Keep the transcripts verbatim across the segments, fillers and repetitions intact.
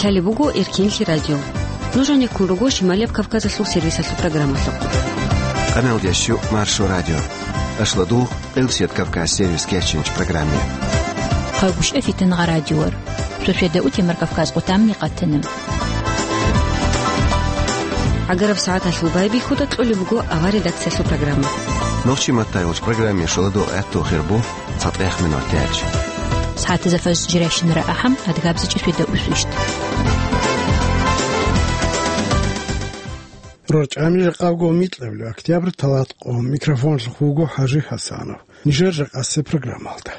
Лъалеб буго Эркенлъи радио. Нуж гьанеккун руго Шималияб Кавказалъул сервисалъул программалъухъ. Къаналдящу Маршо радио. Ашладугъ, Къилсият Кавказ сервис кечинч программе. Хъагушев Фитингъа радиор. Суседа утемар Кавказ къутамни къатана. ГӀагараб сагӀаталъул байбихьуда кьолеб буго авар редакциялъул программа. Нохчи маттайулч программе шоладо гӀатту хирбу. ЦатӀехмин ватиач. СагӀатазда фажр жирайщинара ахӀам, адгабзичӀи светда усвищ. РорчӀами жакъабго микьабли октябрь талат къо. Микрофонлъухъ вуго ХӀажи ХӀасанов. Нижер жакъасе программалда.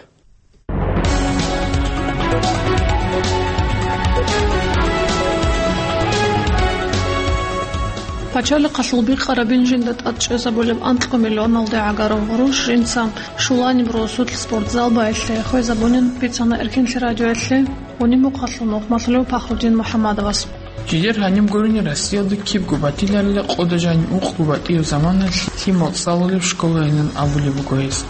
Пачалихъалъул бикъарабин жинда тӀад чӀезабулеб анкьго миллионалде гӀагарав гъурущ жинца Шуланиб росулъ спортзал байилъе хвезабунин бицана Эркенлъи радиоялъе Гъунимухъалъул мухъмалъулев Пахрудин МухӀаммадовас. Жидер гьаниб гурони Россиялда кибго батиларила къода жаниб ункъго батӀияб заманалъ лъимал цӀалулеб школайилан абулеб буго гьес.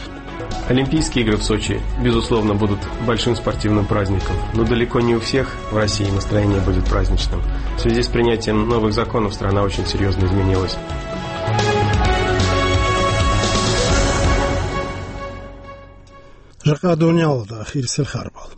Олимпийские игры в Сочи, безусловно, будут большим спортивным праздником, но далеко не у всех в России настроение будет праздничным. В связи с принятием новых законов страна очень серьёзно изменилась. Жакъа дуниялалда ахирисел харбал.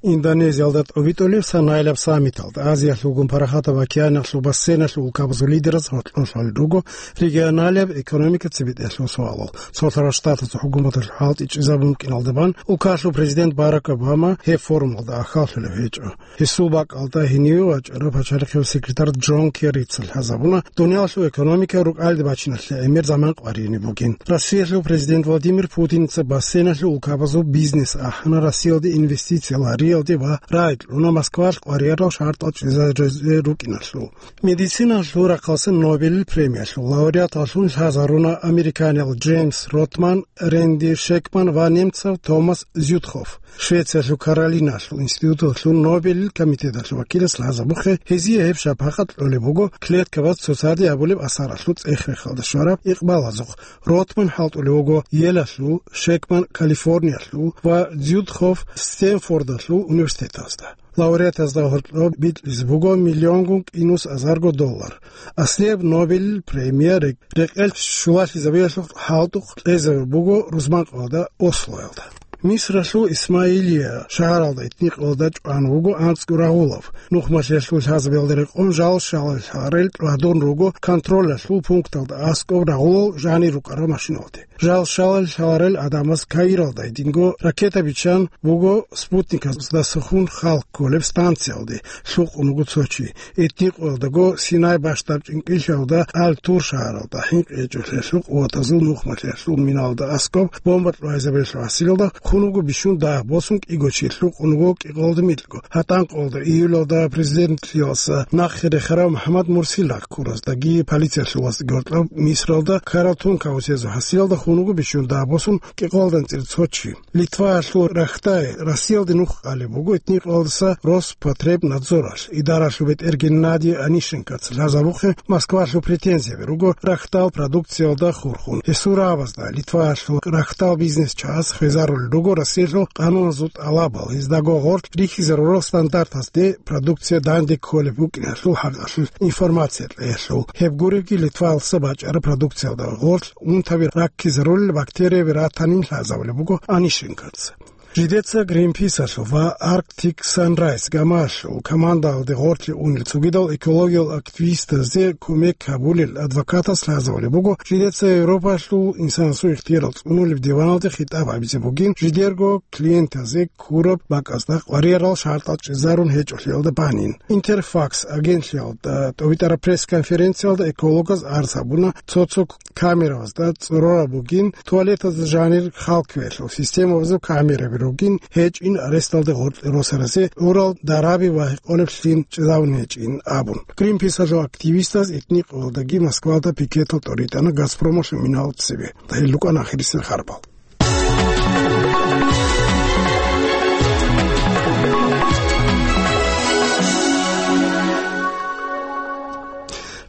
Индонезиялда тӀобитӀулеб санаилаб саммиталда Азиялъулгун Парахатаб океаналъул бассейналъул улкабазул лидераз гьоркьоб лъалел руго регионалияб экономика цебетӀеялъул суалал. Цолъарал Штатазул хӀукуматалъул хӀалтӀи чӀезабун букӀиналда бан, улкалъул президент Барак Обама гьеб форумалда ахьаллъулев гьечӀо. Гьесул бакӀалда гьениве вачӀарав пачалихъияв секретарь Джон Керрица лъазабуна дуниялалъул экономика рукӀалде бачиналъе гӀемер заман къваригӀине бугин. Россиялъул президент Владимир Путиница бассейналъул улкабазул бизнес ахӀана Россиялде инвестиция гьариялде ва рагӀи кьуна Москвалъ къваригӀарал шартӀал чӀезарезе рукӀиналъул. Медициналъул рахъалъе Нобелил премиялъул лауреаталлъун лъазаруна американиял Джеймс Ротман, Ренди Шекман ва немцав Томас Зютхоф. Швециялъул Каролиналъул институталъул Нобелил комитеталъул вакилас лъазабухъе, гьезие гьеб шапакъат кьолеб буго клеткабаз цоцаде гьабулеб асаралъул цӀех-рехалда щвараб икъбалазухъ. Ротман хӀалтӀулев вуго Елалъул, Шекман Калифорниялъул ва Зютхоф Стенфордалъул университетазда. Лауреатазда гьоркьоб битӀизе буго миллионгун кӀинус азарго доллар. Аслияб Нобелил премия рекь-, рекъел щулалъизабиялъухъ хӀалтӀухъ кьезабулеб буго рузманкъоялда Ослоялда. Мисралъул Исмаилия шагьаралда этникъоялда чӀван вуго анцӀго рагъулав. Нухмалъиялъул лъазабиялда рекъон жал-шалал лъарел тӀадун руго контролалъул пункталда аскӀоб рагъулал жанир рукӀарал машиналде. Жал-шалал лъарел гӀадамаз Каиралда гьединго ракета биччан буго спутниказда сухун халкъ кколеб станциялде, лъукъун вуго цо чи. Этникъоялдаго Синай бащдаб чӀинкӀиллъиялда Аль-Тур шагьаралда хӀинкъи гьечӀолъиялъул къуватазул нухмалъиялъул миналда аскӀоб бомба кьвайзабиялъул гьасилалда хун вуго бищун дагь босун кӀиго чи, лъукъун вуго кӀикъоялда микьго. ГьатӀанкъоялда июлалда президентлъиялдаса нахъе рехарав МухӀаммад Мурсил рахъ ккураздаги полициялъул вацӀцӀаги гьоркьоб Мисралда ккарал тункаусезул гьасилалда хун вуго бищун дагь босун кӀикъоялда анцӀила цо чи. Литваялъул Рахтай Россиялде нух къалеб буго этникъоялдаса Роспотребнадзоралъ. Идаралъул бетӀер Геннадий Онищенкоца лъазабухъе Москвалъул претензияби руго рахтал продукциялда хурхун. Гьесул рагӀабазда Литваялъул рахтал бизнес чагӀаз хвезарулел руго Россиялъул къануналъул тӀалабал, гьездаго гъорлъ рихьизарурал стандартазде продукция данде кколеб букӀиналъул хӀакъалъулъ информация кьеялъул. Гьеб гуребги, Литваялдаса бачӀараб продукциялда гъорлъ унтаби раккизарулел бактерияби ратанин лъазабулеб буго Онищенкоца. Жидеца Гринписалъул ва Arctic Sunrise гамаялъул командаялде гъорлъе унел цогидал экологиял активистазде кумек гьабулел адвокатас лъазабулеб буго, жидеца Европалъул инсанасул ихтиярал цӀунулеб диваналде хитӀаб гьабизе бугин, жидерго клиентазе ккураб бакӀазда къваригӀарал шартӀал чӀезарун гьечӀолъиялда банин. Интерфакс агентлъиялда тӀобитӀараб пресс-конференциялда экологаз арз гьабуна цо-цо камеравазда цӀорораб бугин, туалетазда жанир хал кквеялъул системабазул камераби ругин, гьечӀин аресталде гъоркье росаразе гӀурал дараби ва гьекъолеблъин чӀезавун гьечӀин абун. Гринписалъул активистаз этникъоялдаги Москвалда пикетал тӀоритӀана Газпромалъул минал цебе. Гьел рукӀана ахирисел харбал.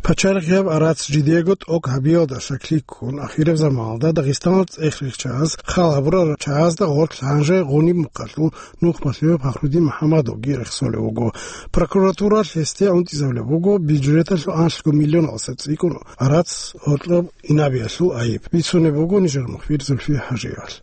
Пачалихъ гьаб гӀарац жидего тӀок гьабиялда щаклъи ккун, ахираб заманалда Дагъистаналъ цӀех рихчаз хал гьабурал чагӀазда гъорлъ гьанже Гъуниб мухъалъул нухмалъулев Пахрудин МухӀаммадовги рехсолев вуго. Прокуратуралъ гьесде унтӀизабулеб буго бюджеталъул анлъго миллионалдаса цӀикӀкӀун гӀарац гьоркьоб инабиялъул айиб. Бицунеб буго нижер мухбир Зульфия ХӀажиевалъ.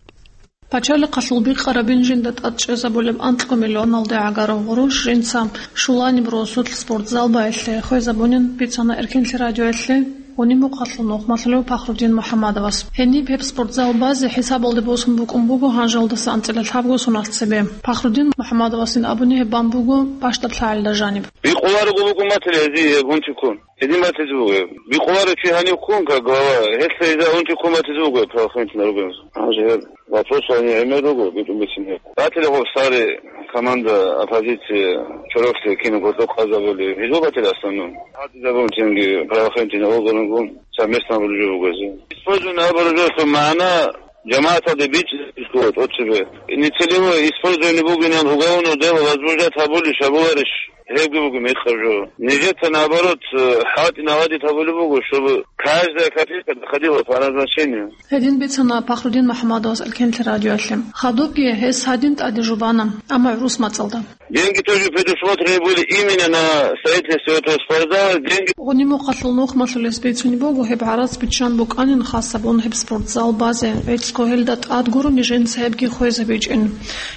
Пачалихъалъул бикъарабин жинда тӀад чӀезабулеб анкьго миллионалде гӀагарав гъурущ жинца щуланиб росулъ спортзал байилъе хвезабунин, бицана Эркенлъи радиоялъе Гъуниб мухъалъул нухмалъулев Пахрудин МухӀаммадовас. Гьениб гьеб спортзал базе хӀисабалде босун букӀун буго гьанжалдаса анцӀила лъабго соналъ цебе. Пахрудин МухӀаммадовасин абуни гьеб бан буго бащдаб лъагӀалда жаниб. Бикъуларого буго матила гьезие гьеб гьунчиккун. Гьедин батизе буго. Бикъуларо чи гьанив ккун, как глава, гьелъ гьезда унти ккун батизе буго правоохранительный орган. Гьанже гьеб вопрос гьанив гӀемер руго, битӀун бицин гьеб. Батила гъоб старый команда оппозиции чороклъи кинабго къазабули. Гьезул батила основном. Гьадизабун цинги правоохранительный органгун совместно абулеб жо буго гьезие. Использование абураб жоялъул магӀна жамагӀаталде бичӀчӀизабизе ккола тӀоцебе. Нецелевое использование бугинан уголовное дело возбуждать гьабулищ, гьабуларищ? Гьебги буго мекъаб жо. Нижеца, наоборот, э, хӀалтӀи наладить гьабулеб буго, чтобы каждая копейка доходила по назначению. Гьедин бицана Пахрудин МухӀаммадовас Эркенлъи радиоялъе. Хадубги гьес гьадин тӀаде жубана, амма гӀурус мацӀалда. Деньги тоже предусмотрены были именно на строительство этого спортзала. Деньги. Гъуниб мухъалъул нухмалъулес бицунеб буго, гьеб гӀарац биччан букӀанин хасабун гьеб спортзал базе, гӀицӀго гьелда тӀад гурони жинца гьебги хвезабичӀин.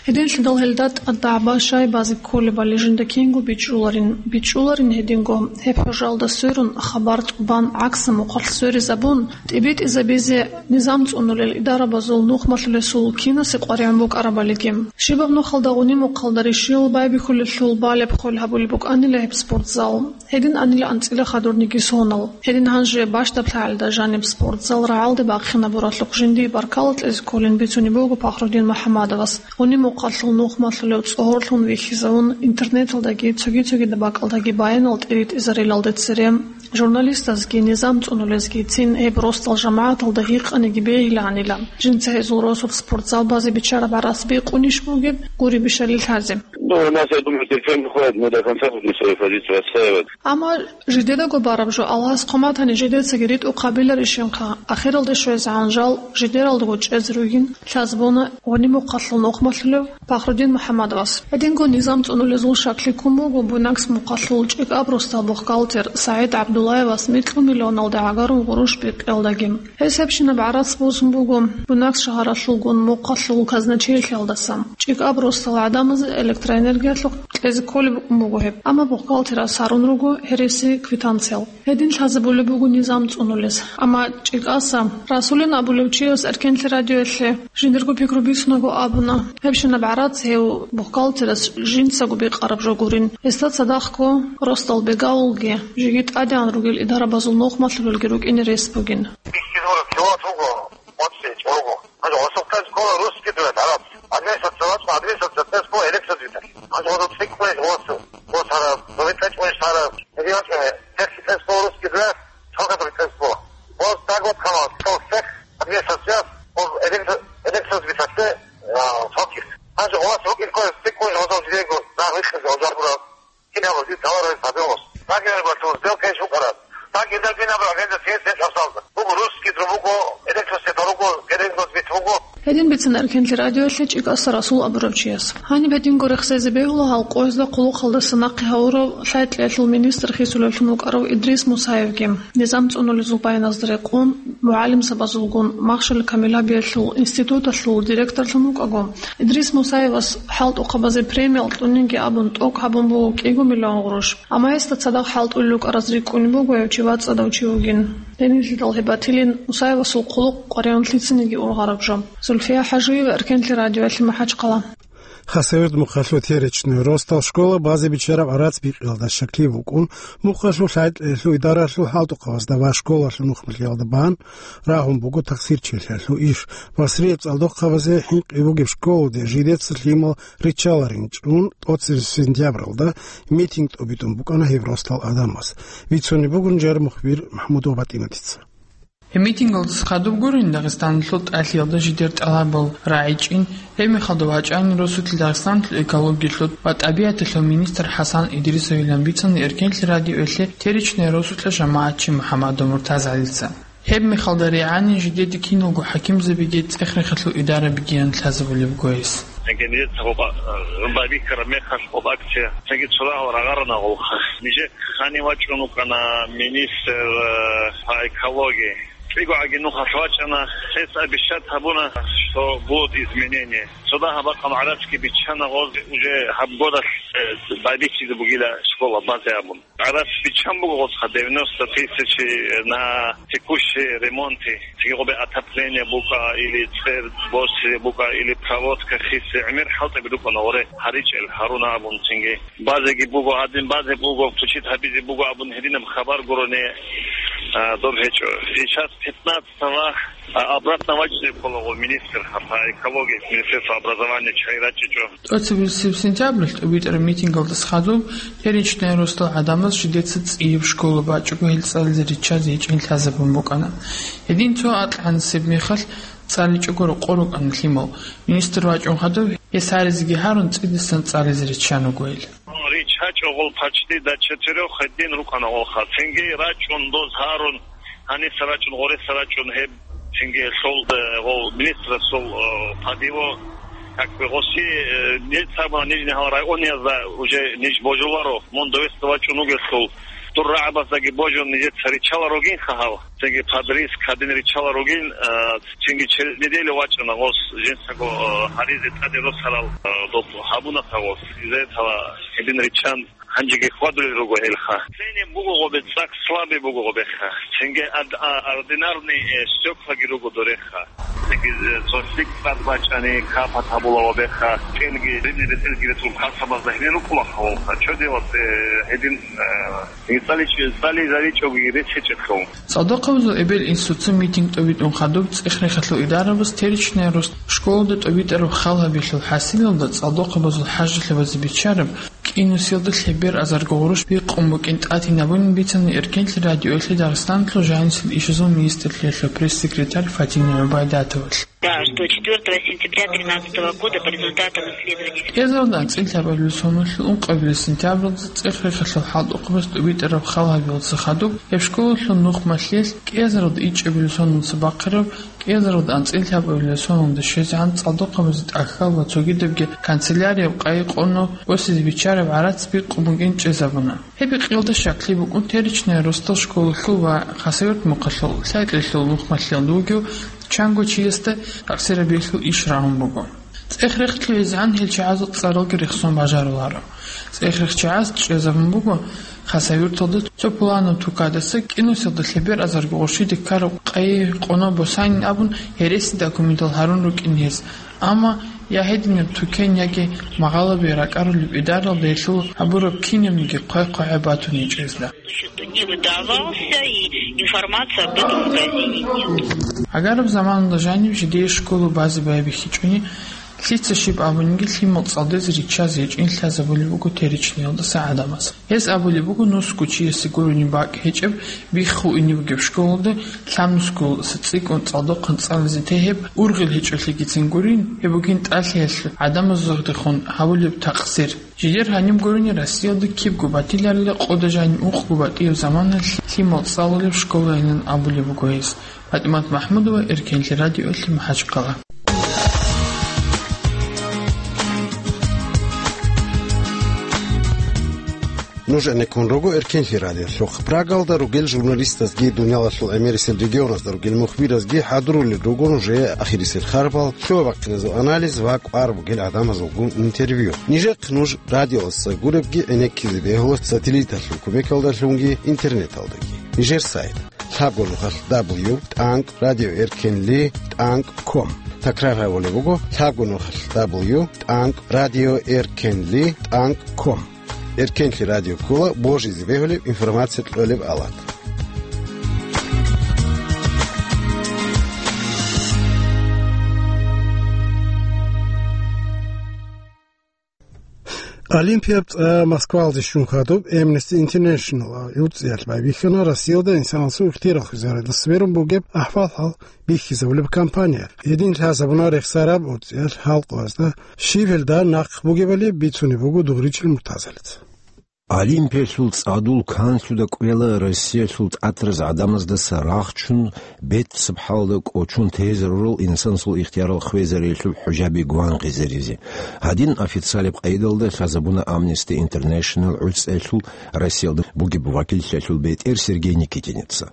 Гьединлъидал гьелда тӀад дагӀба щай базе кколебали жинда кинго бичӀчӀуларин, бичӀчӀуларин гьединго, гьеб хӀужалда сверун, хабар тӀубан, гӀакса мухъалъ сверизабун, тӀибитӀизабизе низам цӀунулел идарабазул нухмалъулесул кинасе къваригӀун букӀарабалиги. Щибаб нухалда Гъуниб мухъалда рищел байбихьулелъул балеб хвел гьабулеб букӀанила гьеб спортзал. Гьедин анила анцӀила хадурниги сонал. Гьедин гьанже бащдаб лъагӀалда жаниб спортзал рагӀалде бахъинабуралъухъ жиндие баркала кьезе кколин бицунеб буго Пахрудин МухӀаммадовас. Гъуниб мухъалъул нухмалъулев цӀогьорлъун вихьизавун, интернеталдаги цоги-цогидаб бакӀалдаги баянал тӀиритӀизарилалде цере, журналистазги низам цӀунулезги цин гьеб росдал жамагӀаталда гьикъаниги бегьилаанила. Жинца гьезул росулъ спортзал базе биччараб гӀарац бикъунищ бугеб, гури бищали лъазе. Ну, у нас, я думаю, терпение хватит, мы до конца будем свою позицию отстаивать. Амма жидедаго бараб жо Аллагьас хъуматани жидецаги ритӀухъ гьабиларищинха, ахиралде щвезегӀан жал жидералдаго чӀезе ругин лъазабуна Гъуниб мухъалъул нухмалъулев Пахрудин МухӀаммадовас. Гьединго низам цӀунулезул щаклъи ккун буго Буйнакск мухъалъул ЧӀикӀаб росдал бухгалтер СагӀид ГӀабдуллаевас микьго миллионалде гӀагарун гъурущ бикъиялдаги. Гьес гьебщинаб гӀарац босун буго Буйнакск шагьаралъулгун мухъалъул казначейлъиялдаса. ЧӀикӀаб росдал гӀадамазе электроэнергиялъухъ кьезе кколеб букӀун буго гьеб, амма бухгалтерас гьарун руго гьереси квитанциял. Гьедин лъазабулеб буго низам цӀунулес. Амма ЧӀикӀаса Расулин абулев чияс Эркенлъи радиоялъе жиндирго пикру бицунаго абуна, гьебщинаб гӀарац гьев бухгалтерас жинцаго бикъараб жо гурин. Гьесда цадахъго росдал бегавулги, жеги тӀадегӀан ругел идарабазул нухмалъулелги рукӀине рес бугин. Бихьизабураб жаваб буго, моцӀи чӀого. Гьанже гъосухъе ккола русский дуэт гӀарац. Администрация вачӀун, администрация тес ккола электродвигатель. Гьанже гъосухъ цӀикӀкӀунищ гъосу. Гъос гьараб, гъосухъ цӀикӀкӀунищ гьараб. Гьеб вачӀун, гьеб цӀикӀкӀунищ ккола русский дуэт, цо кадр тес ккола. Гъос дагват хъамал, цо всех администрацияс, гъос электро-, электродвигательде, а, цоких. Гьанже гъос рукӀин ккола цӀикӀкӀунищ гъосул жидего, нагъ рихъизе гъожал бураб. Кинаб жи товаров пабиос. Так я говорю, сделка есть укарат. Так и так и набрал, это все, все обсалда. Буго русский, друг буго, электросвет, буго, геренго свет, буго. Гьедин бицана Эркенлъи радиоялъе ЧӀикӀаса Расул абурав чияс. Гьаниб гьединго рехсезе бегьула гьал къоязда хъулухъалдаса нахъе гьавурав лъай-кьеялъул министр хисулевлъун вукӀарав Идрис Мусаевги. Низам цӀунулезул баяназда рекъон, мугӀалимзабазулгун, махщел камилабиялъул институталъул директорлъун вукӀаго, Идрис Мусаевас хӀалтӀухъабазе премиял кьунинги абун тӀок гьабун буго кӀиго миллион гъурущ. Амма гьесда цадахъ хӀалтӀулел рукӀараз рикӀкӀунеб буго гьев чи вацӀцӀадав чи вугин. Гьенилъидал гьеб батилин Мусаевасул хъулухъ къваригӀун лъицаниги ургъараб жо. Зульфия ХӀажиева, Эркенлъи радиоялъе, МахӀачхъала. Хасавюрт мухъалъул Теречный росдал школа базе биччараб гӀарац бикъиялда щаклъи букӀун, мухъалъул лъай-кьеялъул идаралъул хӀалтӀухъабазда ва школалъул нухмалъиялда бан рагьун буго тахсирчилъиялъул иш. Басрияб цӀалдохъабазе хӀинкъи бугеб школалде жидеца лъимал риччаларин чӀун, тӀоцебесеб сентябралда митинг тӀобитӀун букӀана гьеб росдал гӀадамаз. Бицунеб бугин жар мухбир МахӀмудова БатӀиматица. Гьеб митингалдаса хадуб гурин Дагъистаналъул тӀалъиялда жидер тӀалабал рагӀичӀин, гьеб мехалда вачӀанин росулъ Дагъистаналъул экологиялъул ва тӀабигӀаталъул министр ХӀасан Идрисовилан бицана Эркенлъи радиоялъе Теречное росулъа жамагӀатчи МухӀаммадов МуртазгӀалица. Гьеб мехалда регӀанин жидеде киналго хӀакимзабиги цӀех-рехалъул идарабигиян лъазабулеб буго гьес. Цинги нижеца гъоб, э, байбихьараб мехалъ гъоб акция цинги цо рагьал рагъарана гъолха. Нижехъ гьанив вачӀун вукӀана министр, э, по экологии. КӀиго гӀаги нухалъ вачӀана, гьес обещать гьабуна, что будут изменения. Цо дагьаб бакъ гьаб гӀарацги биччана гъоз, уже гьаб годалъ, э, байбихьизе бугила школа базе абун. ГӀарац биччан буго гъосха девяносто тысячи на текущие ремонты, цинги гъобе отопление букӀа или цӀер босизе букӀа или проводка хисе, гӀемер хӀалтӀи букӀана гъоре гьаричӀел гьаруна абун цинги. Базеги буго, гьадин базе буго, включить гьабизе буго абун гьединаб хабар гурони, а, доб гьечӀо. Сейчас пятнадцатого, а, обратно вачӀине кколаго министр, гьаб, а, экология, министерство образования чай рачӀичӀо. ТӀоцебесеб сентябралъ тӀубитӀараб митингалдаса хадуб Теречное росдал гӀадамаз жидеца цӀияб школа бачӀого гьел цӀализе риччазе гьечӀин лъазабун букӀана. Гьедин цо акьанасеб мехалъ цӀаличӀого рокъор рукӀана лъимал. Министр вачӀун хадуб гьес гьаризеги гьарун цӀидасан цӀализе риччан руго гьел. РиччачӀого гъол почти до четырёх гьедин рукӀана гъолха. Цинги рачӀун доз гьарун, гьаниса рачӀун, гъореса рачӀун гьеб цинги лъол, э, гъол министрасул, э, падиво, как бы, гъоси, э, ниж цабуна нижни гьал районазда уже ниж божуларо, мун довесда вачӀун вугелъул, дур рагӀабаздаги божун нижеца риччала ругинха гьал. Цинги подриск гьадин риччала ругин, э, цинги через неделю вачӀана гъос жинцаго, э, гьаризе тӀаде росарал, э, доб гьабуна гъос. Из-за этого гьедин риччан гьанжеги хьвадулел руго гьелха. Цинги буго гъобе цӀакъ слабый буго гъобеха. Цинги ад-, а, ординарный, э, стёклаги руго дореха. Цинги, э, цо лъикӀ цӀад бачӀани капат гьабула гъобеха. КӀелги, рибни бетӀелги ретун касабазда гьенир рукӀула гъолха. Чо делас, э, гьедин, э, ИцӀали-, цӀализаричӀоги рес гьечӀелъул. ЦӀалдохъабазул эбел-инсуца митинг тӀобитӀун хадуб цӀех-рехалъул идарабаз Теречное росдал школалда тӀобитӀараб хал гьабиялъул хӀасилалда цӀалдохъабазул хӀажалъабазе биччараб кӀинусиялда лъебер азарго гъурущ бикъун букӀин тӀатинабунин бицана Эркенлъи радиоялъе Дагъистаналъул жанисел ишазул министрлъиялъул пресс-секретарь Фатима ГӀубайдатовалъ. Да, что четвёртого сентября тринадцатого года по результатам исследования. КӀиазаралда анцӀила гьабулеб соналъул ункъабилеб сентябралда цӀех-рехалъул хӀалтӀухъабаз тӀубитӀараб хал гьабиялдаса хадуб гьеб школалъул нухмалъиялъ кӀиазаралда ичӀабилеб соналдаса бахъараб, кӀиазаралда анцӀила гьабулеб соналда щвезегӀан цӀалдохъабазе тӀахьал ва цогидабги канцелярияб къайи къоно босизе биччараб гӀарац бикъун бугин чӀезабуна. Гьеб бикъиялда щаклъи букӀун Теречное росдал школалъул ва Хасавюрт мухъалъул лъай-кьеялъул нухмалъиялда вугев чанго чиясда такъсирабиялъул иш рагӀун буго. ЦӀех-рехалъул гӀезегӀан гьел чагӀазул цӀаралги рехсон бажаруларо. ЦӀех-рехчагӀаз чӀезабун буго Хасавюрталда цо пуланаб тукадаса кӀинусиялда лъебер азарго гъурщиде ккараб къайи къоно босанин абун гьереси документал гьарун рукӀин гьез. Амма я гьединаб тукен яги магъалаби ракӀарулеб идаралда гьелъул гьабураб кинабниги хъвай-хъвагӀа батун гьечӀезда. Значит, не выдавался, и информация об этом в магазине нет. Гьагараб заманалда жанив жидее школа базе байбихьичӀони, лъица щиб абуниги лъимал цӀалдезе риччазе гьечӀин лъазабулеб буго Теречныйялдаса гӀадамаз. Гьес абулеб буго, нусго чиясе гурони бакӀ гьечӀеб, биххуине бугеб школалда лъабнусгоялдаса цӀикӀкӀун цӀалдохъан цӀализе тегьеб, ургъел гьечӀолъигицин гурин, гьеб бугин тӀалъиялъул гӀадамазулгъдехун гьабулеб такъсир. Жидер гьаниб гурони Россиялда кибго батиларила къода жаниб ункъго батӀияб заманалъ лъимал цӀалулеб школайилан абулеб буго гьес. ПатӀимат МахӀмудова, Эркенлъи радиоялъе, МахӀачхъала. Нуж гӀенеккун руго Эркенлъи радиолъухъ. Прагалда ругел журналистазги, дуниялалъул гӀемерисел регионазда ругел мухбиразги хӀадурулел руго нужее ахирисел харбал, лъугьа-бахъиназул анализ ва кӀвар бугел гӀадамазулгун интервью. Нижехъ нуж радиоялдаса гуребги гӀенеккизе бегьула сателлиталъул кумекалдалъунги интернеталдаги. Нижер сайт: лъабго нухалъ дабл ю тӀанкӀ радиоэркенли тӀанкӀ ком. Такрар гьабулеб буго: лъабго нухалъ дабл ю тӀанкӀ радиоэркенли тӀанкӀ ком. Эркенлъи радио ккола божизе бегьулеб информация кьолеб алат. Олимпияб цӀа Москвалде щун хадуб Amnesty International гӀуцӀиялъ байбихьана Россиялда инсанасул ихтияр хвезариялдаса берун бугеб ахӀвал-хӀал бихьизабулеб кампания. Гьедин лъазабуна рехсараб гӀуцӀиялъ халкъазда щиб гьелда нахъ бугебали бицунеб буго Дугъричил Муртазалица. Олимпиялъул цӀадул канлъуда кӀвела Россиялъул тӀатараз гӀадамаздаса рахчун, беццаб хӀалда кӀочон тезе ророл инсанасул ихтиярал хвезариялъул хӀужаби гвангъизаризе. Гьадин официалаб къайдалда лъазабуна Amnesty International гӀуцӀиялъул Россиялда бугеб вакиллъиялъул бетӀер Сергей Никитинеца.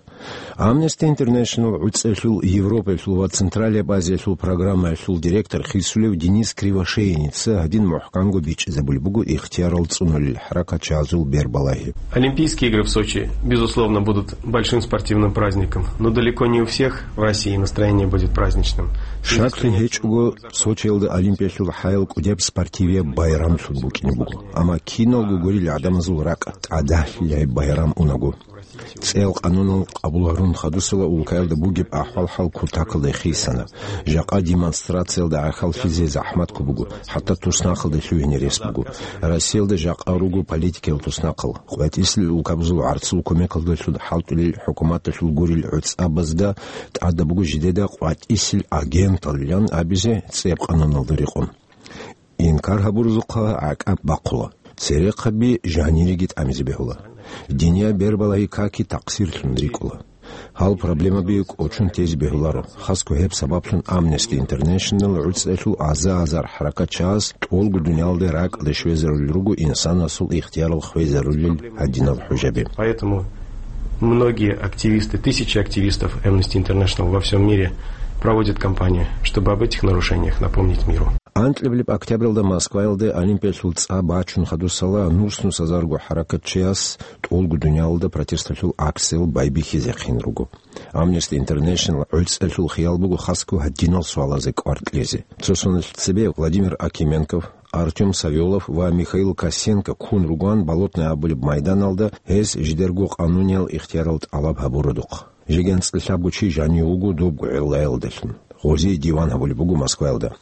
Amnesty International гӀуцӀиялъул Европаялъул ва Централияб Азиялъул программаялъул директор хисулев Денис Кривошеинеца гьадин мухӀканго бичӀчӀизабулеб буго ихтиярал цӀунулел хӀаракатчагӀазул бербалагьи. Олимпийские игры в Сочи, безусловно, будут большим спортивным праздником, но далеко не у всех в России настроение будет праздничным. Щаклъи гьечӀого, Сочиялда Олимпиялъул хӀаял кӀудияб спортивияб байрамлъун букӀине буго, амма киналго гурел гӀадамазул ракӀ тӀадахьилай байрам унаго. ЦӀел къанунал къабул гьарун хадусала улкаялда бугеб ахӀвал-хӀал кутакалда хисана. Жакъа демонстрациялда гӀахьаллъизе захӀматго буго, хӀатта туснахъалда лъугьине рес буго. Россиялда жакъа руго политикиял туснахъал. КъватӀисел улкабазул гӀарцул кумекалдалъун хӀалтӀулел хӀукуматалъул гурел гӀуцӀабазда тӀадаб буго жидеда къватӀисел агенталилан абизе цӀеб къануналда рекъон. Инкар гьабурзухъа гӀакӀаб бахъула. Церехъаби жанириги тӀамизе бегьула. Динияб бербалагьи каки такъсирлъун рикӀкӀула. Гьал проблемаби кӀочон тезе бегьуларо. Хасго гьеб сабаблъун Amnesty International гӀуцӀиялъул аза-азар хӀаракатчагӀаз тӀолго дуниялалде ракӀалде щвезарулел руго инсанасул ихтиярал хвезарулел гьадинал хӀужаби. Поэтому многие активисты, тысячи активистов Amnesty International во всём мире проводят кампанию, чтобы об этих нарушениях напомнить миру. Анкьабилеб октябралда Москваялде Олимпиялъул цӀа бачун хадусала нус-нусазарго хӀаракатчияс тӀолго дуниялалда протесталъул акциял байбихьизехъин руго. Amnesty International гӀуцӀиялъул хиял буго хасго гьадинал суалазе кӀвар кьезе. Цо соналъ цебе Владимир Акименков, Артём Савёлов ва Михаил Косенко ккун ругоан Болотное абулеб майданалда гьез жидерго къануниял ихтиярал тӀалаб гьабуродухъ. Жеги анцӀила лъабго чи жанив вуго добго гӀиллаялдалъун. Гъозие диван гьабулеб буго Москваялда.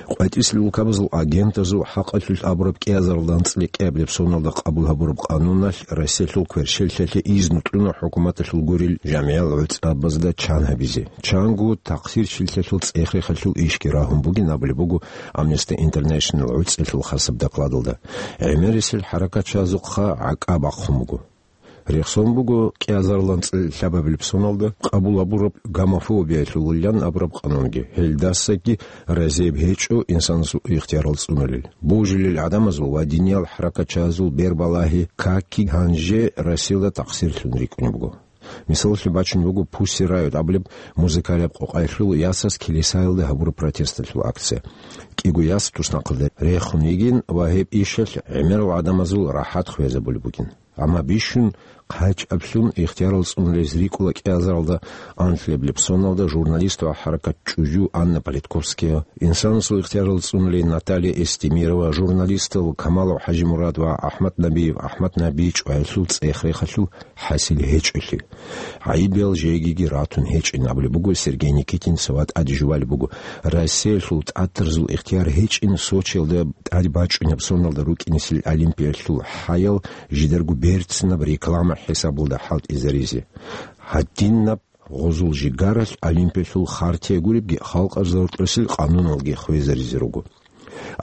КъватӀисел улкабазул агентазул хӀакъалъулъ абураб кӀиазаралда анцӀила кӀиабилеб соналда къабул гьабураб къануналъ Россиялъул кверщеллъиялъе изну кьуна хӀукуматалъул гурел жамгӀиял гӀуцӀабазда чан гьабизе, чанго такъсирчилъиялъул цӀех-рехалъул ишги рагьун бугин абулеб буго Amnesty International гӀуцӀиялъул хасаб докладалда. ГӀемерисел хӀаракатчагӀазухъа гӀакӀа бахъун буго. Рехсон буго кӀиазаралда анцӀила лъабабилеб соналда къабул гьабураб гомофобиялъулилан абураб къанунги, гьелдасаги разияб гьечӀо инсанасул ихтиярал цӀунулел. Божилел гӀадамазул ва диниял хӀаракатчагӀазул бербалагьи каки гьанже Россиялда такъсирлъун рикӀкӀунеб буго. Мисалалъе бачун буго Pussy Riot абулеб музыкалияб къокъаялъул ясаз килисаялда гьабураб протесталъул акция. КӀиго яс туснахъалда рехун йигин ва гьеб ишалъ гӀемерал гӀадамазул рахӀат хвезабулеб бугин. Амма бищун хъачӀаблъун ихтиярал цӀунулез рикӀкӀула кӀиазаралда анлъабилеб соналда журналист ва хӀаракатчӀужу Анна Политковская, инсанасул ихтиярал цӀунулей Наталья Эстемирова, журналистал Камалов ХӀажимурад ва АхӀмад Набиев АхӀмад НабичӀ ва гьелъул цӀех-рехалъул хӀасил гьечӀолъи. ГӀайибиял жегиги ратун гьечӀин абулеб буго Сергей Никитинца ва тӀаде жувалеб буго Россиялъул тӀатарзул ихтияр гьечӀин Сочиялда тӀад бачӀунеб соналда рукӀинесел Олимпиялъул хӀаял жидерго берцинаб реклама хӀисабалда хӀалтӀизаризе. Гьадинаб гъозул жигаралъ Олимпиялъул хартия гуребги халкъалъул рокьосел къануналги хвезаризе руго.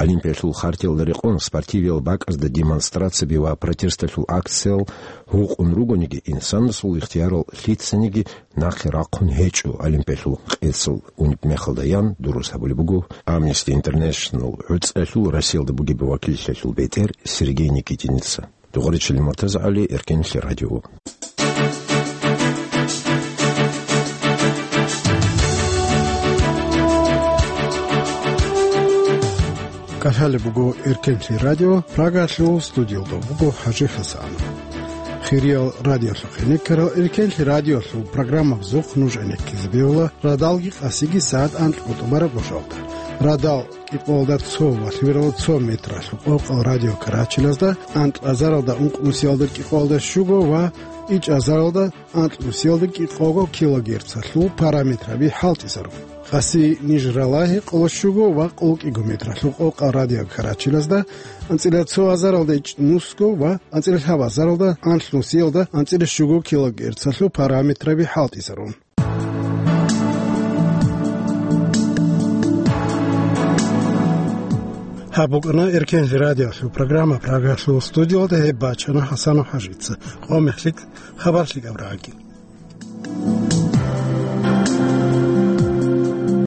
Олимпиялъул хартиялда рекъон спортивиял бакӀазда демонстрацияби ва протесталъул акциял гьукъун ругониги, инсанасул ихтиярал лъицаниги нахъе рахъун гьечӀо Олимпиялъул къецал унеб мехалда, ян дурус гьабулеб буго Amnesty International гӀуцӀиялъул Россиялда бугеб вакиллъиялъул бетӀер Сергей Никитинеца. Дугъричил МуртазагӀали, Эркенлъи радио. КӀалъалеб буго Эркенлъи радио, Прагалъул студиялда буго ХӀажи ХӀасан. Хириял радиолъухъ гӀенеккарал, Эркенлъи радиолъул программабазухъ нуж гӀенеккизе бегьула радалги къасиги сагӀат анкьго тӀубараб гӀушалда. Радал кӀикъоялда цо ва лъимералда цо метралъул къокъал радиокарачелазда, анкьазаралда ункънусиялда кӀикъоялда щуго ва ичӀазаралда анкьнусиялда кӀикъого килогерцалъул параметраби хӀалтӀизарун. Къаси Нижералда гьекъолда щуго ва къоло кӀиго метралъул къокъал радиокарачелазда, анцӀила цо азаралда ичӀнусго ва анцӀила лъабазаралда анлънусиялда анцӀила щуго килогерцалъул параметраби хӀалтӀизарун. Гьаб букӀана Эркенлъи радиолъул программа. Прагалъул студиялда гьеб бачана ХӀасанов ХӀажица. Къо мехлъи хабар лъикӀаб рагьаги.